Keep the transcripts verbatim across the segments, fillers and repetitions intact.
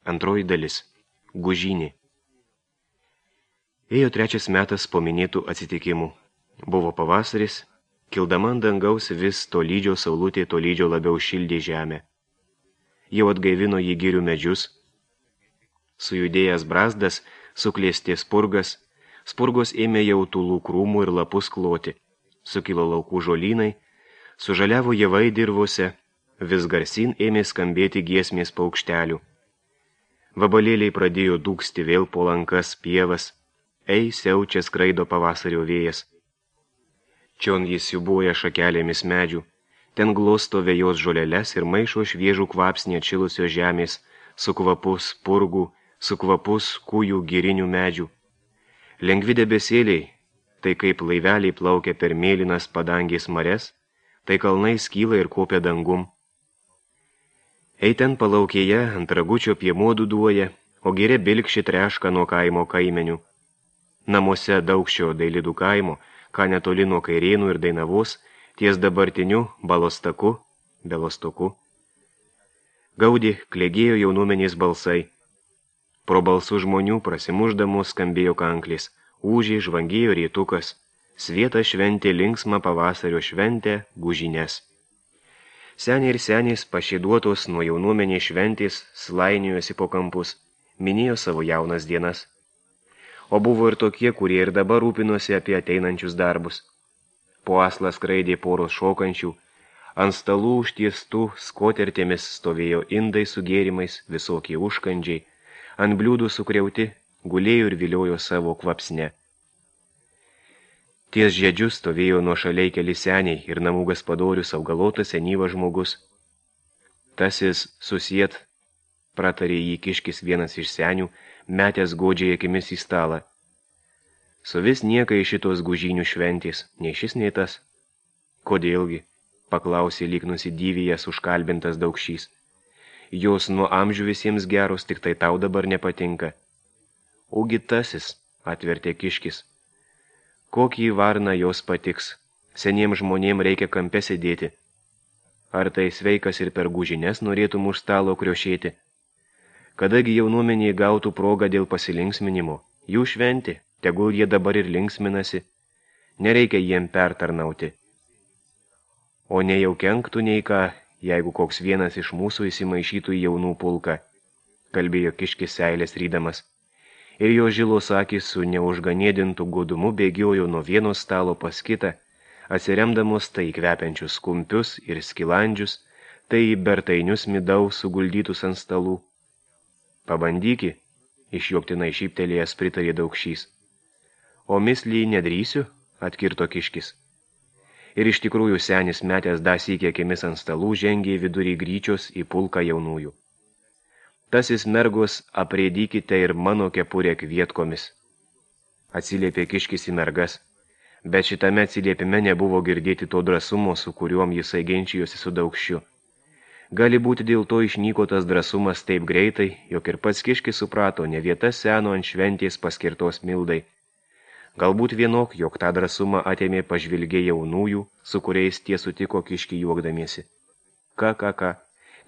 Antroji dalis. Gužynė. Ėjo trečias metas po minėtų atsitikimų. Buvo pavasaris, kildama ant dangaus vis tolydžio saulutė tolydžio labiau šildė žemę. Jau atgaivino jį girių medžius. Sujudėjęs brazdas, suklėstė spurgas, spurgos ėmė jau tulų krūmų ir lapus kloti. Sukilo laukų žolynai, sužaliavo javai dirvose, vis garsin ėmė skambėti giesmės paukštelių. Vabalėliai pradėjo dūksti vėl po lankas pievas, ei siaučia skraido pavasario vėjas. Čion jis siubuoja šakelėmis medžių, ten glosto vėjos žoleles ir maišo šviežų kvapsnį atšilusios žemės, su kvapus purgų, su kvapus kūjų girinių medžių. Lengvi debesėliai, tai kaip laiveliai plaukia per mėlynas padangės mares, tai kalnai skyla ir kopia dangum. Ei ten palaukėje ant ragučio piemuo duduoja, o gėrė bilkši treška nuo kaimo kaimenių. Namuose daugščio dailidų kaimo, ką netoli nuo Kairėnų ir Dainavos, ties dabartiniu Balostaku, Belostoku. Gaudį klėgėjo jaunuomenės balsai. Pro balsų žmonių prasimuždamos skambėjo kanklis, ūžė žvangėjo rėtukas, svieta šventė linksmą pavasario šventę gužines. Seniai ir senės pašėduotos nuo jaunuomenės šventės slainiojosi po kampus, minėjo savo jaunas dienas. O buvo ir tokie, kurie ir dabar rūpinosi apie ateinančius darbus. Po aslą skraidė poros šokančių, ant stalų užtiestų skotertėmis stovėjo indai su gėrimais, visokie užkandžiai, ant bliūdų sukriauti, gulėjo ir viliojo savo kvapsne. Ties žiedžius stovėjo nuo šaliai keli seniai ir namų gaspadorius augalotas senyvas žmogus. Tasis susiet, pratarė jį kiškis vienas iš senių, metęs godžiai akimis į stalą. Su vis niekai šitos gužynių šventės, nei šis, nei tas. Kodėlgi, paklausė lyg nusidyvėjęs užkalbintas daugšys. Jos nuo amžių visiems geros, tik tai tau dabar nepatinka. Ogi tasis, atvertė kiškis. Kokį varną jos patiks, seniems žmonėm reikia kampe sėdėti. Ar tai sveikas ir per gužines norėtum už stalo kriošėti? Kadagi jaunuomeniai gautų progą dėl pasilinksminimo, jų šventė, tegul jie dabar ir linksminasi, nereikia jiem pertarnauti. O ne jau kenktų nei ką, jeigu koks vienas iš mūsų įsimaišytų į jaunų pulką, kalbėjo kiškis seilės rydamas. Ir jo žilos akys su neužganėdintų godumu bėgiojo nuo vieno stalo pas kitą, atsiremdamos tai kvepiančius kumpius ir skilandžius, tai į bertainius midaus suguldytus ant stalų. Pabandyki, išjuoktinai šyptelėjęs pritarė daugšys. O mislį nedrįsiu, atkirto kiškis. Ir iš tikrųjų senis metęs dasykė akimis ant stalų žengė vidurį gryčios į pulką jaunųjų. Tasis mergos aprėdykite ir mano kepurę kvietkomis. Atsiliepė kiškis į mergas, bet šitame atsiliepime nebuvo girdėti to drąsumo, su kuriuom jisai ginčijosi su daugščiu. Gali būti dėl to išnyko tas drąsumas taip greitai, jog ir pats kiškis suprato, ne vieta seno ant šventės paskirtos mildai. Galbūt vienok, jog tą drąsumą atėmė pažvilgė jaunųjų, su kuriais tie sutiko kiškį juokdamiesi. Ką, ką, ką,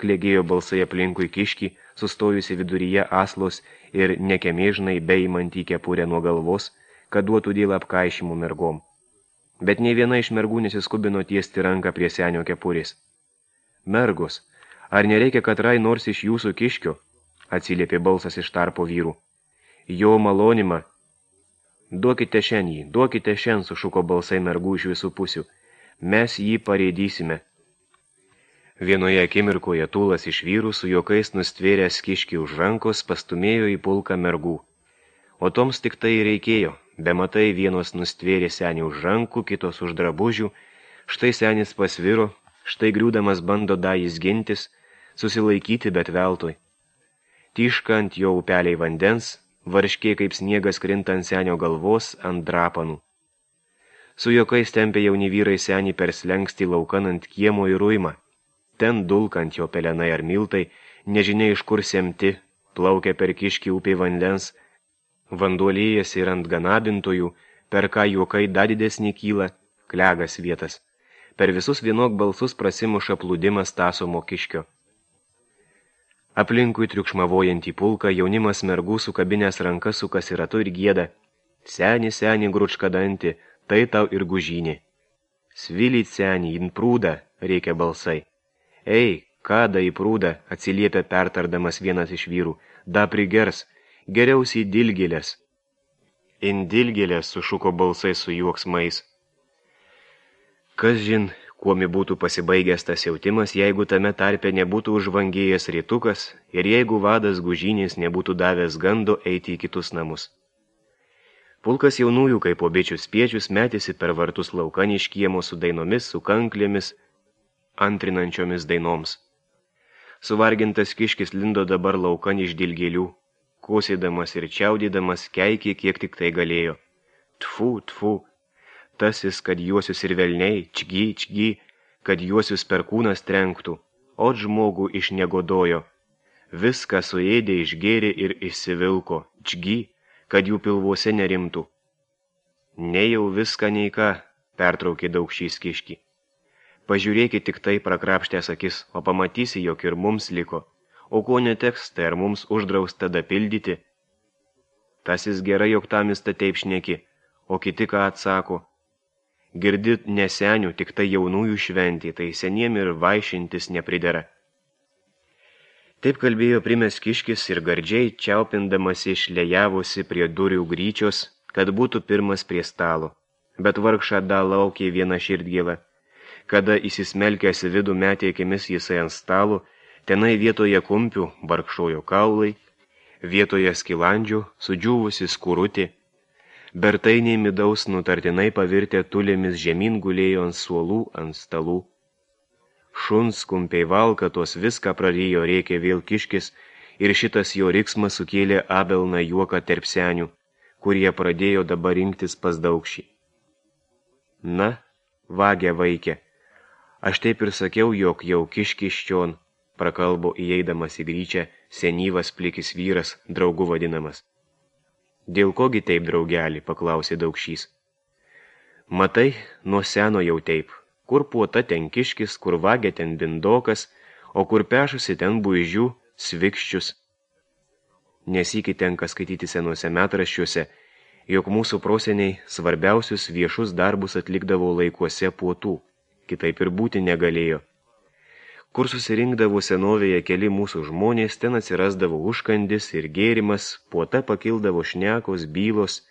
klėgėjo balsai aplinkui kiškį, sustojusi viduryje aslos ir nekemėžnai beimantį kepurę nuo galvos, kad duotų dėl apkaišimų mergom. Bet nei viena iš mergų nesiskubino tiesti ranką prie senio kepurės. Mergos, ar nereikia katrai nors iš jūsų kiškio? Atsiliepė balsas iš tarpo vyrų. Jo malonimą. Duokite šen jį, duokite šen, sušuko balsai mergų iš visų pusių. Mes jį pareidysime. Vienoje akimirkoje tūlas iš vyrų su juokais nustvėręs kiškį už rankos pastumėjo į pulką mergų. O toms tik tai reikėjo, be matai vienos nustvėrė senį už rankų, kitos už drabužių, štai senis pasviro, štai griūdamas bando dajis gintis, susilaikyti bet veltui. Tyška ant jo upeliai vandens, varškė kaip sniegas krinta ant senio galvos ant drapanų. Su juokais tempė jauni vyrai senį per slengstį laukan ant kiemo į ruimą. Ten dulkant jo pelenai ar miltai, nežinia iš kur semti, plaukia per kiškį upė vandens, vanduolėjas ir ant ganabintojų, per ką juokai dar didesnį kyla, klegas vietas. Per visus vienok balsus prasimuša plūdimas tasomo kiškio. Aplinkui triukšmavojantį pulką jaunimas mergų sukabinės rankas sukasi ratu ir gieda. Seni, seni, gručka dantį, tai tau ir gužynė. Svilyt, seni, in prūdą, reikia balsai. Ei, kada į prūdą, atsiliepia pertardamas vienas iš vyrų, da prigers, geriausiai dilgėlės. In dilgėlės, sušuko balsai su juoksmais. Kas žin, kuomi būtų pasibaigęs tas jautimas, jeigu tame tarpe nebūtų užvangėjęs rytukas ir jeigu vadas gužynės nebūtų davęs gando eiti į kitus namus. Pulkas jaunųjų, kaip po bičių spiečius, metėsi per vartus laukan iš kiemo su dainomis, su kanklėmis, antrinančiomis dainoms. Suvargintas kiškis lindo dabar laukan iš dilgėlių, kosėdamas ir čiaudydamas keikė, kiek tik tai galėjo. Tfu, tfu. Tasis, kad juosius ir velniai, čgy, čgy, kad juosius per kūnas trenktų, o žmogų išnegodojo. Viską suėdė, išgėrė ir išsivilko, čgy, kad jų pilvuose nerimtų. Ne jau viską nei ką, pertraukė Daukšys kiškį. Pažiūrėkit tik tai prakrapštęs akis, o pamatysi, jog ir mums liko, o ko neteks, tai ar mums uždrausta dapildyti. Tasis gerai, jog tamista taip šneki, o kiti ką atsako. Girdit nesenių, tik tai jaunųjų šventį, tai seniem ir vaišintis nepridera. Taip kalbėjo primės kiškis ir gardžiai čiaupindamas išlėjavosi prie durių gryčios, kad būtų pirmas prie stalo. Bet vargšą da laukė viena širdgėla. Kada įsismelkęs vidų metė akimis jisai ant stalo, tenai vietoje kumpių barkšojo kaulai, vietoje skilandžių sudžiūvusi skurutė. Bertainiai midaus nutartinai pavirtę tulėmis žemyn gulėjo ant suolų, ant stalų. Šuns kumpiai valkatos viską prarijo, rėkė vėl kiškis, ir šitas jo riksmas sukėlė abelną juoką tarp senių, kurie pradėjo dabar rinktis pas Daukšį. Na, vagė vaikė, aš taip ir sakiau, jog jau kiškis čion, prakalbo įeidamas į gryčią senyvas plikis vyras, draugu vadinamas. Dėl kogi taip, draugelį, paklausė Daukšys. Matai, nuo seno jau taip, kur puota ten kiškis, kur vagė ten bindokas, o kur pešusi ten buižių, svikščius. Nesykį tenka skaityti senuose metraščiuose, jog mūsų proseniai svarbiausius viešus darbus atlikdavo laikuose puotų, kitaip ir būti negalėjo. Kur susirinkdavo senovėje keli mūsų žmonės, ten atsirasdavo užkandis ir gėrimas, puota pakildavo šnekos, bylos,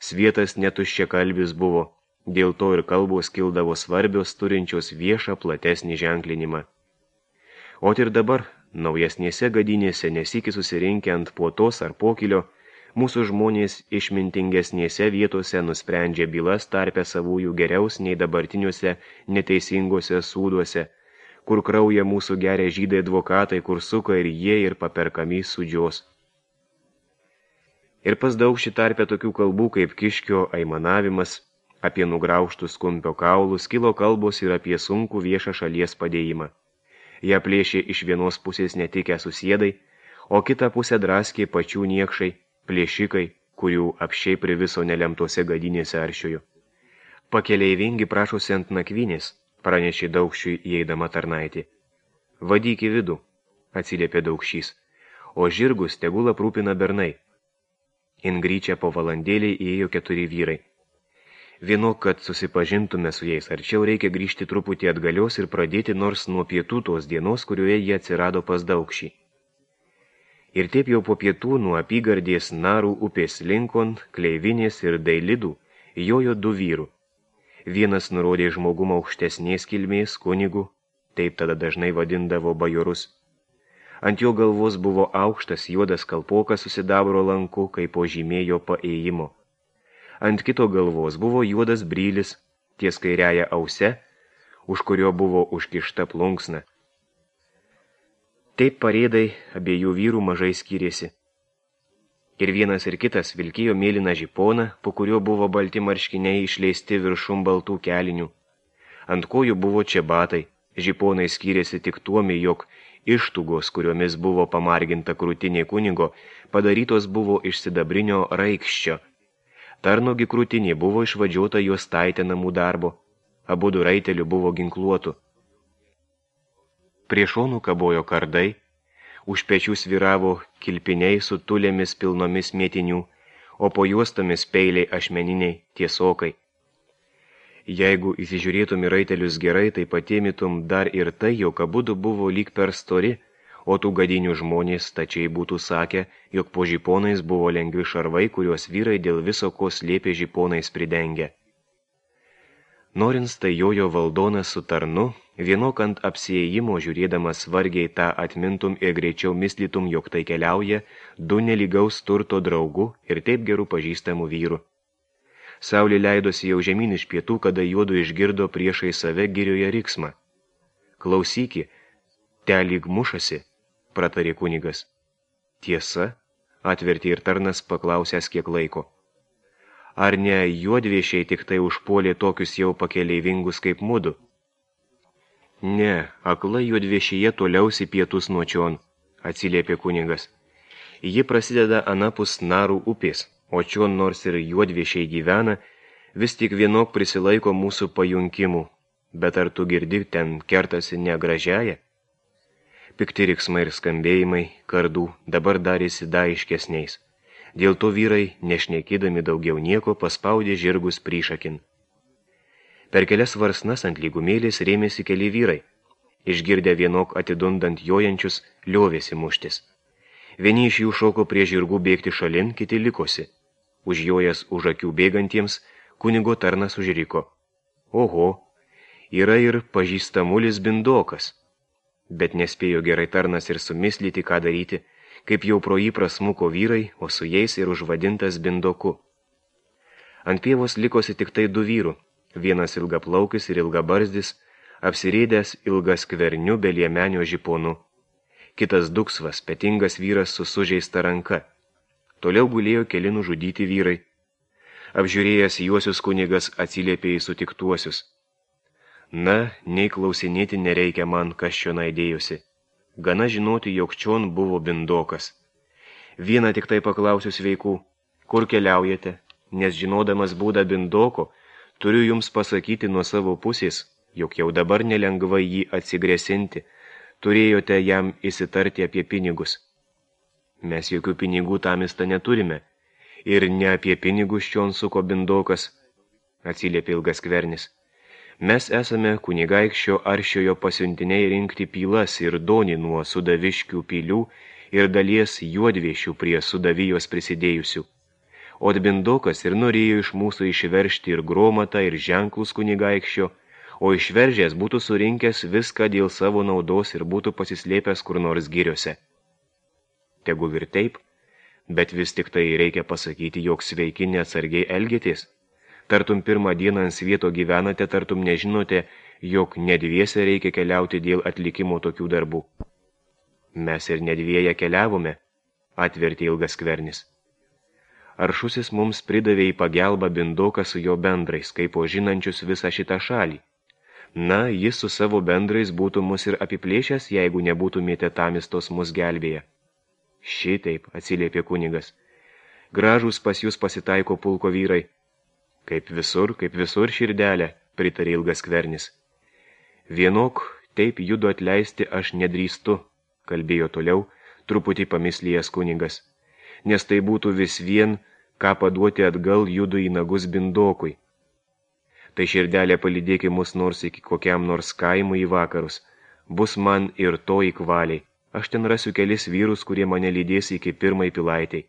svietas netuščia kalbis buvo, dėl to ir kalbos kildavo svarbios, turinčios viešą platesnį ženklinimą. O ir dabar, naujesnėse gadinėse nesikį susirinkę ant puotos ar pokilio, mūsų žmonės išmintingesnėse vietose nusprendžia bylas tarpę savųjų geriaus nei dabartiniuose neteisingose sūduose, kur krauja mūsų geria žydai advokatai, kur suka ir jie ir paperkami sudžios. Ir pas Daukšį tarpę tokių kalbų kaip kiškio aimanavimas, apie nugraužtus kumpio kaulus, kilo kalbos ir apie sunkų viešą šalies padėjimą. Ją plėšė iš vienos pusės netikę susiedai, o kitą pusę draskė pačių niekšai, plėšikai, kurių apšiai priviso nelemtose gadinėse aršiojo. Pakeleivingi prašosi ant nakvynės, pranešė Daukšiui įeidama tarnaitė. Vadyk į vidų, atsiliepė Daukšys, o žirgus tegul aprūpina bernai. Ingryčia po valandėlį įėjo keturi vyrai. Vienok, kad susipažintume su jais arčiau, reikia grįžti truputį atgalios ir pradėti nors nuo pietų tos dienos, kurioje jie atsirado pas Daukšį. Ir taip jau po pietų nuo apygardės Narų upės linkon, Kleivinės ir Dailidų jojo du vyrų. Vienas nurodė žmogumą aukštesnės kilmės kunigų, taip tada dažnai vadindavo bajorus. Ant jo galvos buvo aukštas juodas kalpokas su sidabro lanku, kaip po žymėjo paėjimo. Ant kito galvos buvo juodas brylis, ties kairiaja ause, už kurio buvo užkišta plunksna. Taip parėdai abiejų vyrų mažai skyrėsi. Ir vienas ir kitas vilkėjo mėlyną žiponą, po kurio buvo balti marškiniai išleisti viršum baltų kelinių. Ant kojų buvo čebatai, žiponai skyrėsi tik tuomi, jog ištugos, kuriomis buvo pamarginta krūtinė kunigo, padarytos buvo iš sidabrinio raikščio. Tarnogi krūtinė buvo išvadžiota jos taitė namų darbo, abudu raitelių buvo ginkluotų. Prie šonų kabojo kardai, už pečių sviravo kilpiniai su tulėmis pilnomis mėtinių, o po juostomis peiliai ašmeniniai tiesokai. Jeigu įsižiūrėtum į raitelius gerai, tai patėmytum dar ir tai, jog abudu buvo lyg per stori, o tų gadinių žmonės stačiai būtų sakę, jog po žiponais buvo lengvi šarvai, kuriuos vyrai dėl viso ko slėpė žiponais pridengę. Norint tai jojo valdonas su tarnu, vienok ant apsiėjimo žiūrėdamas vargiai tą atmintum ir greičiau mislytum, jog tai keliauja du nelygaus turto draugų ir taip gerų pažįstamų vyrų. Saulė leidosi jau žemyn iš pietų, kada juodu išgirdo priešai save girioje riksmą. Klausyki, te lyg mušasi, pratarė kunigas. Tiesa, atvertė ir tarnas paklausęs kiek laiko. Ar ne juodviešiai tik tai užpuolė tokius jau pakeleivingus kaip mudu? Ne, akla juodviešyje toliausi pietus nuo čion, atsiliepė kunigas. Ji prasideda anapus Narų upės, o čion nors ir juodviešiai gyvena, vis tik vienok prisilaiko mūsų pajunkimų, bet ar tu girdi ten kertasi negražiaja? Pikti riksmai ir skambėjimai kardų dabar darėsi daiškesniais. Dėl to vyrai, nešnekėdami daugiau nieko, paspaudė žirgus priešakin. Per kelias varsnas ant lygumėlės rėmėsi keli vyrai. Išgirdę vienok atidundant jojančius, liovėsi muštis. Vieni iš jų šoko prie žirgų bėgti šalin, kiti likosi. Užjojęs už akių bėgantiems, kunigo tarnas užriko. Oho, yra ir pažįstamulis bindokas. Bet nespėjo gerai tarnas ir sumislyti, ką daryti, kaip jau pro jį prasmuko vyrai, o su jais ir užvadintas bindoku. Ant pievos likosi tik tai du vyrų, vienas ilgaplaukis ir ilgabarzdis, apsirėdęs ilgas skverniu be liemenio žiponu. Kitas duksvas, petingas vyras su sužeista ranka. Toliau gulėjo keli nužudyti vyrai. Apžiūrėjęs juosius kunigas atsiliepė į sutiktuosius. Na, nei klausinėti nereikia man, kas čionai dėjosi. Gana žinoti, jog čion buvo bindokas. Vieną tik tai paklausiu sveikų, kur keliaujate, nes žinodamas būdą bindoko, turiu jums pasakyti nuo savo pusės, jog jau dabar nelengva jį atsigresinti, turėjote jam įsitarti apie pinigus. Mes jokių pinigų tamista neturime, ir ne apie pinigus čion suko bindokas, atsiliepė ilgas skvernis. Mes esame kunigaikščio Aršiojo pasiuntiniai rinkti pylas ir donį nuo sudaviškių pilių ir dalies juodviešių prie sudavijos prisidėjusių. O bindokas ir norėjo iš mūsų išveršti ir gromatą, ir ženklus kunigaikščio, o išveržęs būtų surinkęs viską dėl savo naudos ir būtų pasislėpęs kur nors giriose. Tegu ir taip, bet vis tik tai reikia pasakyti, jog sveiki neatsargiai elgėtės. Tartum pirmą dieną ant svieto gyvenate, tartum nežinote, jog nedviese reikia keliauti dėl atlikimo tokių darbų. Mes ir nedvieja keliavome, atvertė ilgas skvernis. Aršusis mums pridavė į pagelbą bindoką su jo bendrais, kaip po žinančius visą šitą šalį. Na, jis su savo bendrais būtų mus ir apiplėšęs, jeigu nebūtumėte tamistos mus gelbėję. Šitaip, atsiliepė kunigas. Gražūs pas jūs pasitaiko pulko vyrai. Kaip visur, kaip visur širdelė, pritarė ilgas skvernis. Vienok, taip judu atleisti aš nedrįstu, kalbėjo toliau, truputį pamislėjęs kunigas, nes tai būtų vis vien, ką paduoti atgal judu į nagus bindokui. Tai širdelė palydėki mus nors iki kokiam nors kaimui į vakarus, bus man ir to įkvaliai. Aš ten rasiu kelis vyrus, kurie mane lydės iki pirmai pilaitei.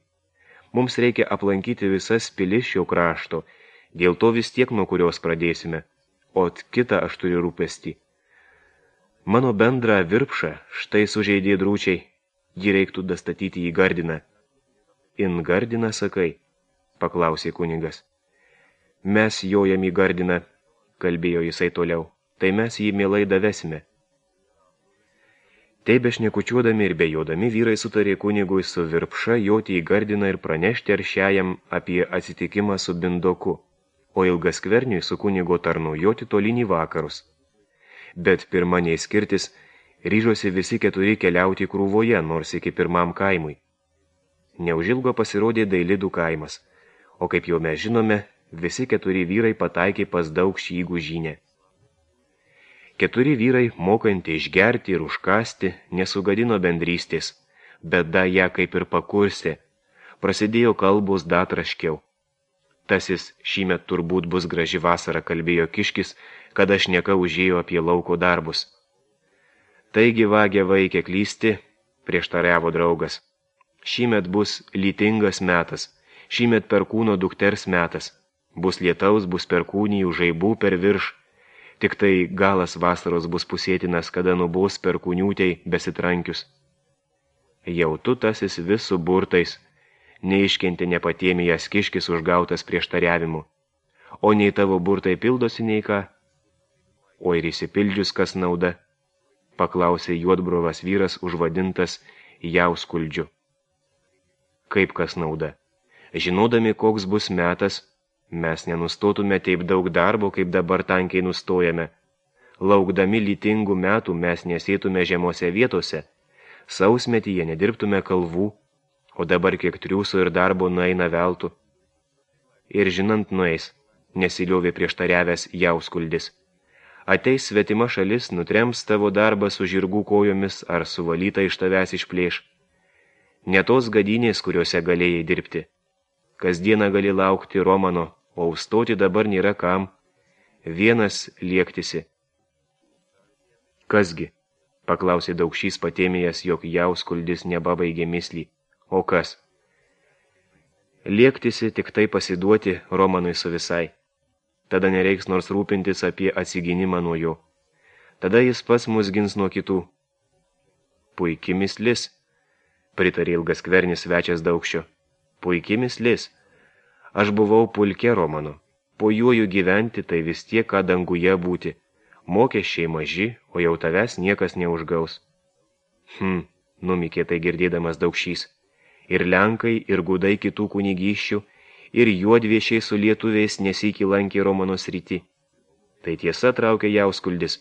Mums reikia aplankyti visas pilis šio krašto, dėl to vis tiek nuo kurios pradėsime, o kitą aš turiu rūpestį. Mano bendrą virpšą štai sužeidė drūčiai, jį reiktų dastatyti į gardiną. In gardiną, sakai, paklausė kunigas. Mes jojam į gardiną, kalbėjo jisai toliau, tai mes jį mielai davesime. Taip bešnekučiuodami ir bejodami vyrai sutarė kunigui su virpša joti į gardiną ir pranešti aršiajam apie atsitikimą su bindoku, o ilgas skverniui su kunigo tarnu joti tolyn į vakarus. Bet pirma nei skirtis, ryžosi visi keturi keliauti krūvoje, nors iki pirmam kaimui. Neužilgo pasirodė Dailidų kaimas, o kaip jau mes žinome, visi keturi vyrai pataikė pas daug šygų žynę. Keturi vyrai, mokanti išgerti ir užkasti, nesugadino bendrystės, bėda ją kaip ir pakurstė. Prasidėjo kalbos datraškiau. Tasis šįmet turbūt bus graži vasara, kalbėjo Kiškis, kada šneka užėjo apie lauko darbus. Taigi vagė vaikė klysti, prieštariavo draugas. Šįmet bus lytingas metas, šįmet perkūno dukters metas. Bus lietaus, bus perkūnijų, žaibų per virš. Tik tai galas vasaros bus pusėtinas, kada nubos perkūniūtei besitrankius. Jau tu tasis vis su burtais, neiškenti nepatėmijas Kiškis užgautas prieštariavimu. O nei tavo burtai pildosi nei ką? O ir įsipildžius kas nauda? Paklausė juodbrovas vyras užvadintas Jauskuldžiu. Kaip kas nauda? Žinodami, koks bus metas, mes nenustotume taip daug darbo, kaip dabar tankiai nustojame. Laukdami lytingų metų mes nesėtume žemose vietose, sausmetyje nedirbtume kalvų, o dabar kiek triūso ir darbo nueina veltų. Ir žinant nueis, nesiliovė prieštariavęs Jauskuldis. Ateis svetima šalis, nutrems tavo darbą su žirgų kojomis ar suvalyta iš tavęs išplėš. Ne tos gadynės, kuriuose galėjai dirbti. Kasdieną gali laukti Romano, o užstoti dabar nėra kam. Vienas liektisi. Kasgi? Paklausė Daukšys patėmėjęs, jog Jauskuldis nebabaigė mislį. O kas? Liektisi tik tai pasiduoti Romanui su visai. Tada nereiks nors rūpintis apie atsigynimą nuo jo. Tada jis pats mus gins nuo kitų. Puiki mislis, pritarė ilgaskvernis svečias Daukščio. Puiki mislis. Aš buvau pulke Romano. Po juoju gyventi, tai vis tiek, ką danguje būti. Mokesčiai maži, o jau tavęs niekas neužgaus. Hm, numikė tai girdėdamas Daukšys. Ir lenkai, ir gudai kitų kunigyščių, ir juodviešiai su lietuviais nesyki lankė Romano srity. Tai tiesa, traukė Jauskuldis.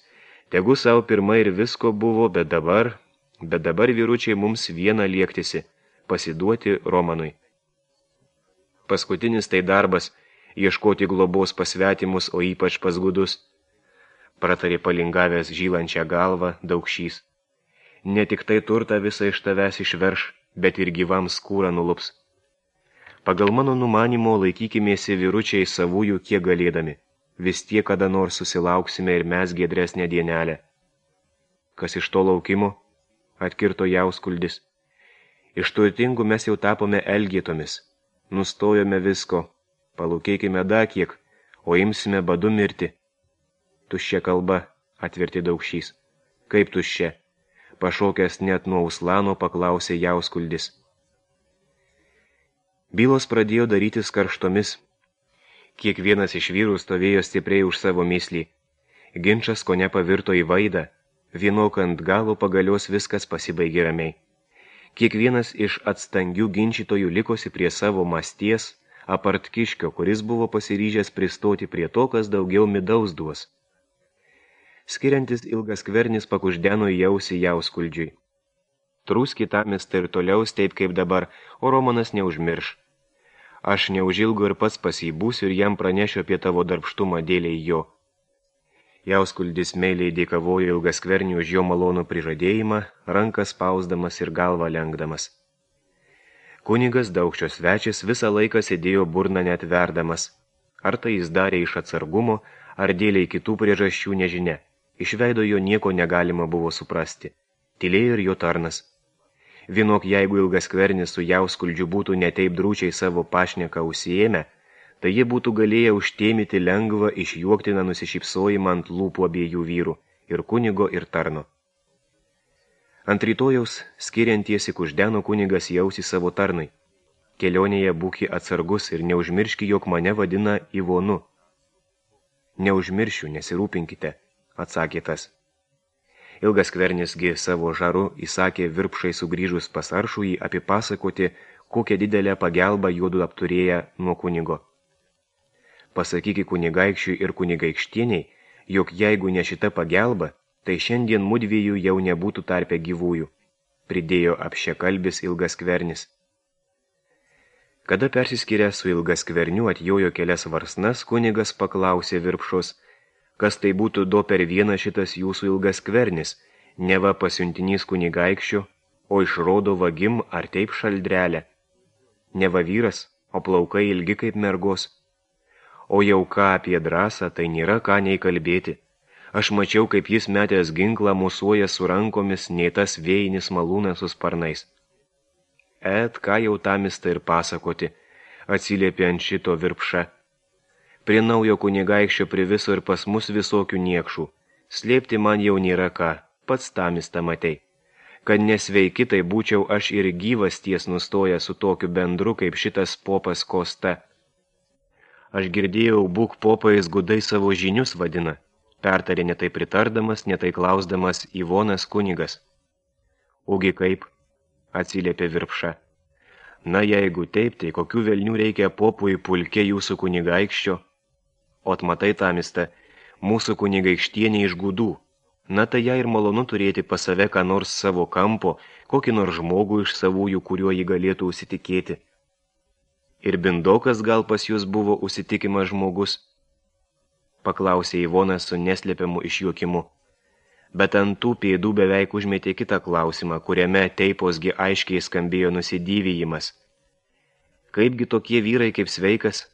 Tegu savo pirma ir visko buvo, bet dabar, bet dabar vyručiai mums vieną liektisi, pasiduoti Romanui. Paskutinis tai darbas, ieškoti globos pasvetimus, o ypač pas gudus, pratarė palingavęs žylančią galvą Daukšys. Ne tik tai turtą visą iš tavęs išverš, bet ir gyvam skūrą nulups. Pagal mano numanimo laikykimėsi vyručiai savųjų kiek galėdami. Vis tiek kada nors susilauksime ir mes giedresnę dienelę. Kas iš to laukimo? Atkirto Jauskuldis. Iš turtingų mes jau tapome elgėtomis. Nustojome visko. Palūkėkime da kiek, o imsime badu mirti. Tuščia kalba, atverti Daukšys. Kaip tuščia? Pašokęs net nuo uslano paklausė Jauskuldis. Bylos pradėjo darytis karštomis. Kiekvienas iš vyrų stovėjo stipriai už savo myslį. Ginčas kone pavirto į vaidą. Vienok ant galo pagalios viskas pasibaigė ramiai. Kiekvienas iš atstangių ginčytojų likosi prie savo masties, apart Kiškio, kuris buvo pasiryžęs pristoti prie to, kas daugiau midaus duos. Skiriantis ilgaskvernis pakuždeno į ausį Jauskuldžiui. Trūs kitamis tai ir toliau taip kaip dabar, o Romanas neužmirš. Aš neužilgo ir pats pas jį būsiu ir jam pranešiu apie tavo darbštumą dėliai jo. Jauskuldis meiliai dėkavojo ilgaskvernių už jo malonų prižadėjimą, rankas spausdamas ir galvą lenkdamas. Kunigas Daukščio svečias visą laiką sėdėjo burną net verdamas. Ar tai jis darė iš atsargumo, ar dėliai kitų priežasčių nežinia. Iš veido jo nieko negalima buvo suprasti. Tylėjo ir jo tarnas. Vienok, jeigu ilgaskvernis su Jauskuldžiu būtų neteip drūčiai savo pašneką užsiėmę, tai jie būtų galėję užtėmyti lengvą išjuoktiną nusišypsojimą ant lūpų abiejų vyrų, ir kunigo, ir tarno. Ant rytojaus, skiriantiesi kuždeno kunigas jausi savo tarnui. Kelionėje būki atsargus ir neužmirški, jog mane vadina Ivonu. Neužmiršiu, nesirūpinkite, atsakė tas. Ilgaskvernisgi savo žaru įsakė virpšai sugrįžus pas Aršųjį apipasakoti, kokią didelę pagelbą juodu apturėję nuo kunigo. Pasakyki kunigaikščiui ir kunigaikštieniai, jog jeigu ne šita pagelba, tai šiandien mudviejų jau nebūtų tarpe gyvųjų, pridėjo apšekalbis Ilgaskvernis. Kada persiskyrę su Ilgaskverniu atjojo kelias varsnas, kunigas paklausė virpšos, kas tai būtų do per vieną šitas jūsų Ilgaskvernis, neva pasiuntinys kunigaikščio, o išrodo vagim ar taip šaldrelę. Neva vyras, o plaukai ilgi kaip mergos. O jau ką apie drąsą, tai nėra ką nei kalbėti. Aš mačiau, kaip jis metęs ginklą musuoja su rankomis, nei tas vėjinis malūnas su sparnais. Et, ką jau tamista ir pasakoti, atsiliepė ant šito Virpša. Prie naujo kunigaikščio priviso ir pas mus visokių niekšų. Slėpti man jau nėra ką, pats tamista matei. Kad nesveiki, tai būčiau aš ir gyvas ties nustoja su tokiu bendru, kaip šitas popas Kosta. Aš girdėjau, būk popais gudai savo žinius vadina, pertarė netai pritardamas, netai klausdamas Ivonas kunigas. Ugi kaip, atsiliepė Virpša. Na jeigu taip, tai kokių velnių reikia popui pulke jūsų kunigaikščio? Ot matai tamista, mūsų kunigaikštienė iš gudų. Na tai ją ir malonu turėti pas save ką nors savo kampo, kokį nors žmogų iš savųjų, kuriuo jį galėtų užsitikėti. Ir Bindokas gal pas jūs buvo užsitikimas žmogus? Paklausė Ivonas su neslėpiamu išjuokimu. Bet ant tų pėdų beveik užmetė kitą klausimą, kuriame teiposgi aiškiai skambėjo nusidyvijimas. Kaipgi tokie vyrai kaip sveikas,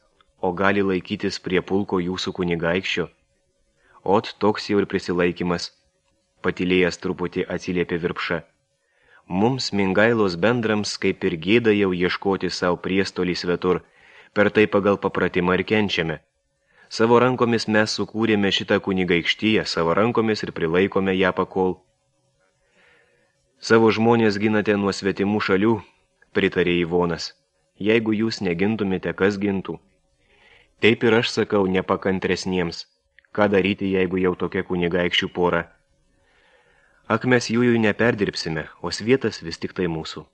o gali laikytis prie pulko jūsų kunigaikščio? Ot, toks jau ir prisilaikymas. Patylėjęs truputį atsiliepė Virpša. Mums Mingailos bendrams kaip ir gėda jau ieškoti savo priestolį svetur, per tai pagal papratimą ir kenčiame. Savo rankomis mes sukūrėme šitą kunigaikštiją, savo rankomis ir prilaikome ją pakol. Savo žmonės ginate nuo svetimų šalių, pritarė Ivonas. Jeigu jūs negintumėte, kas gintų? Taip ir aš sakau nepakantresniems. Ką daryti, jeigu jau tokia kunigaikščių pora? Ak mes jųjų neperdirbsime, o svietas vis tik tai mūsų.